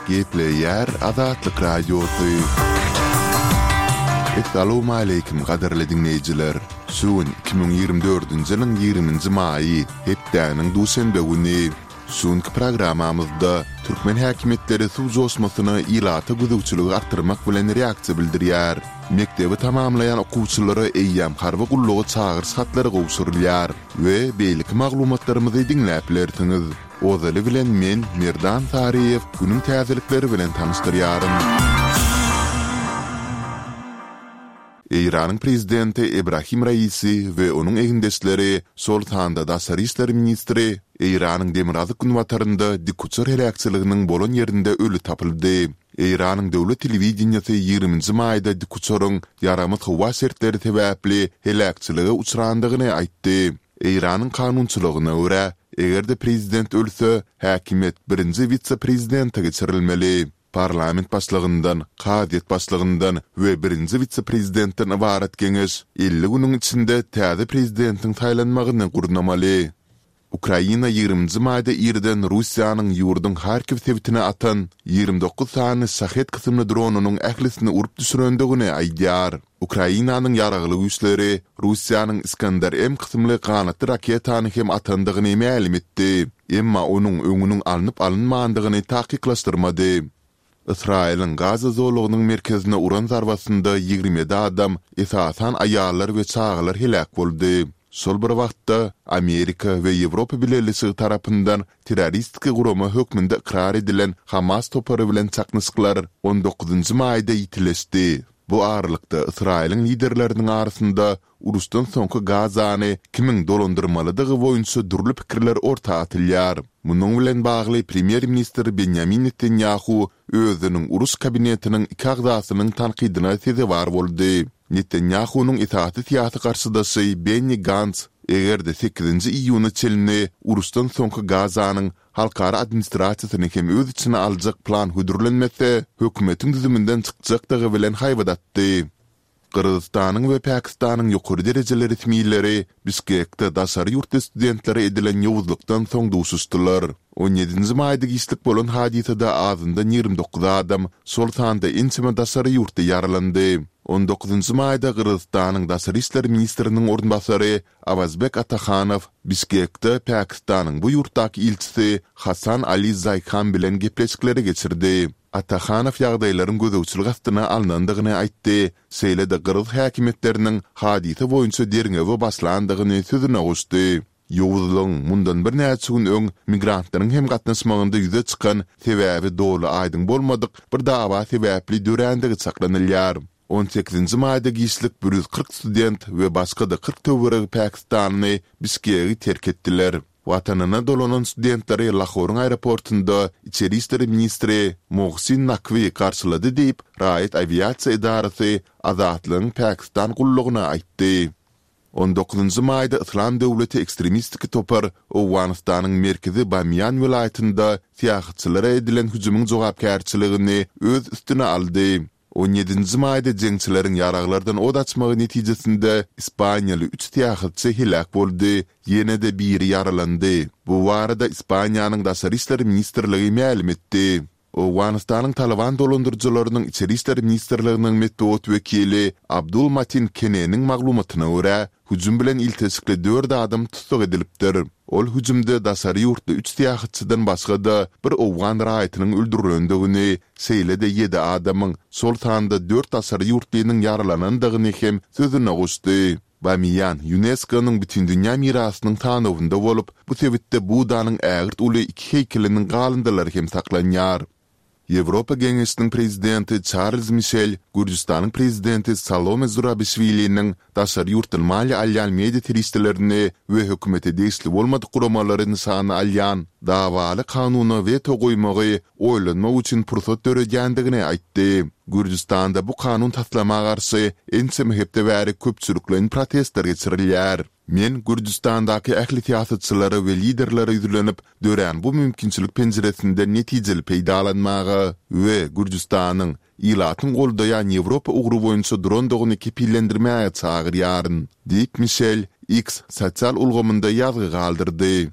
Gepleýär Azatlyk Radiosy. Essalawmaleýkim gadyrly diňleýjiler! Şu gün 2024-nji ýylyň 20-nji maýy, hepdäniň duşenbe güni. Şu günki programmamyzda türkmen häkimiýetleri suw joşmasyna ilata gözegçiligi artdyrmak bilen reaksiýa bildirýär. Mekdebi tamamlaýan okuwçylara eýýäm harby gulluga çagyryş hatlary gowşurylýar we beýleki maglumatlarymyzy diňläp bilersiňiz. Ozaly bilen men, Merdan Saryýew, günüň täzelikleri bilen tanyşdyrýaryn. Eýranyň prezidenti Ebrahim Raisi we onuň egindeşleri, şol sanda daşary işler ministri Eýranyň demirgazyk-günbatarynda dikuçar heläkçiliginiň bolan ýerinde öli tapyldy. Eýranyň döwlet telewideniýesi ýigriminji maýda dikuçaryň ýaramaz howa şertleri sebäpli heläkçilige uçrandygyny aýtdy. Eýranyň kanunçylygyna görä, eger-de prezident ölse, häkimiýet birinji wise-prezidente geçirilmeli. Parlament başlygyndan, kazyýet başlygyndan we birinji wise-prezidentden ybarat geňeş 50 günüň içinde täze prezidentiň saýlanmagyny gurnamaly. Ukraina ýigriminji maýda irden Russiýanyň ýurduň Harkiw sebitine atan 29 sany Şahed kysymly dronynyň ählisini urup düşürendigini aýdýar. Ukrainanyň Ýaragly Güýçleri Russiýanyň Iskander-M kysymly ganatly raketany hem atandygyny mälim etdi, emma onuň öňüniň alnyp-alynmandygyny takyklaşdyrmady. Ysraýylyň Gaza zolagynyň merkezine uran zarbasynda 27 adam, esasan aýallar we çagalar heläk boldy. Şol bir wagtda, Amerika we Ýewropa Bileleşigi tarapyndan terroristik gurama hökmünde ykrar edilen Hamas topary bilen çaknyşyklar on dokuzynjy maýda ýitileşdi. Bu aralykda, Ysraýylyň liderleriniň arasynda uruşdan soňky Gazany kimiň dolandyrmalydygy boýunça dürli pikirler orta atylýar. Munuň bilen bagly premýer-ministr Benýamin Netanýahu özüniň uruş kabinetiniň iki agzasynyň tankydyna sezewar boldy. Netanýahunyň esasy syýasy garşydaşy Benni Gants eger-de sekizinji iýuna çenli uruşdan soňky Gazanyň halkara administrasiýasyny hem öz içine aljak plan hödürlenmese, hökümetiň düzüminden çykjakdygy bilen haýbat atdy. Gyrgyzystanyň we Pakistanyň ýokary derejeli resmileri Bişkekde daşary ýurtly studentlere edilen ýowuzlykdan soň duşuşdylar. On ýedinji maýda giçlik bolan hadysada azyndan 29 adam, şol sanda ençeme daşary ýurtly ýaralandy. On dokuzynjy maýda Gyrgyzystanyň daşary işler ministriniň orunbasary Awazbek Atahanow Bişkekde Pakistanyň bu ýurtdaky ilçisi Hasan Ali Zaýhan bilen gepleşikleri geçirdi. Atahanow ýagdaýlaryň gözegçilik astyna alnandygyny aýtdy, şeýle-de gyrgyz häkimiýetleriniň hadysa boýunça derňewe başlandygyny sözüne goşdy. Ýowuzlygyň mundan birnäçe gün öň migrantlaryň hem gatnaşmagynda ýüze çykan sebäbi doly aýdyň bolmadyk bir dawa sebäpli dörändigi çaklanylýar. On sekizinji maýda giçlik 140 student we başga-da 40 töweregi pakistanly Bişkegi terk etdiler. Watanyna dolanan studentleri Lahoryň aeroportynda içeri işler ministri Mohsin Nakwi garşylady diýip, raýat awiasiýa edarasy Azatlygyň Pakistan gullugyna aýtdy. On dokuzynjy maýda Yslam döwleti ekstremistik topar Owganystanyň merkezi Bamiýan welaýatynda syýahatçylara edilen hüjümiň jogapkärçiligini öz üstüne aldy. On ýedinji maýda jeňçileriň ýaraglardan ot açmagy netijesinde ispaniýaly üç syýahatçy heläk boldy, ýene-de biri ýaralandy. Bu barada Ispaniýanyň Daşary işler ministrligi mälim etdi. Owganystanyň Talyban dolandyryjylarynyň Içeri işler ministrliginiň metbugat wekili Abdul Matin Keneniň maglumatyna görä, Hüjüm bilen ilteşikli dört adam tussag edilipdir. Ol hüjümde daşary ýurtly üç syýahatçydan başga-da bir owgan raýatynyň öldürilendigini, şeýle-de ýedi adamyň, şol sanda dört daşary ýurtlynyň ýaralanandygyny hem sözüne goşdy. Bamiýan ÝUNESKO-nyň Bütindünýä mirasynyň sanawynda bolup, bu sebitde Buddanyň ägirt uly iki heýkeliniň galyndylary hem saklanýar. Ýewropa Geňeşiniň Prezidenti Çarlz Mişel Gürjüstanyň Prezidenti Salome Zurabişwiliniň daşary ýurtdan maliýe alýan media serişdelerini we hökümete degişli bolmadyk guramalary nyşana alýan dawaly kanuna weto goýmagy oýlanmak üçin pursat döredýändigini aýtdy. Gürjüstanda bu kanun taslama garşy ençeme hepde bäri köpçülikleýin protestler geçirilýär. Men Gürjüstandaky ähli syýasatçylara we liderlere ýüzlenip, dörän bu mümkinçilik penjiresinden netijeli peýdalanmaga we Gürjüstanyň ilatyň goldaýan Ýewropa ugry boýunça durandygyny kepillendirmäge çagyrýaryn, diýip, Mişel X sosial ulgamynda ýazgy galdyrdy.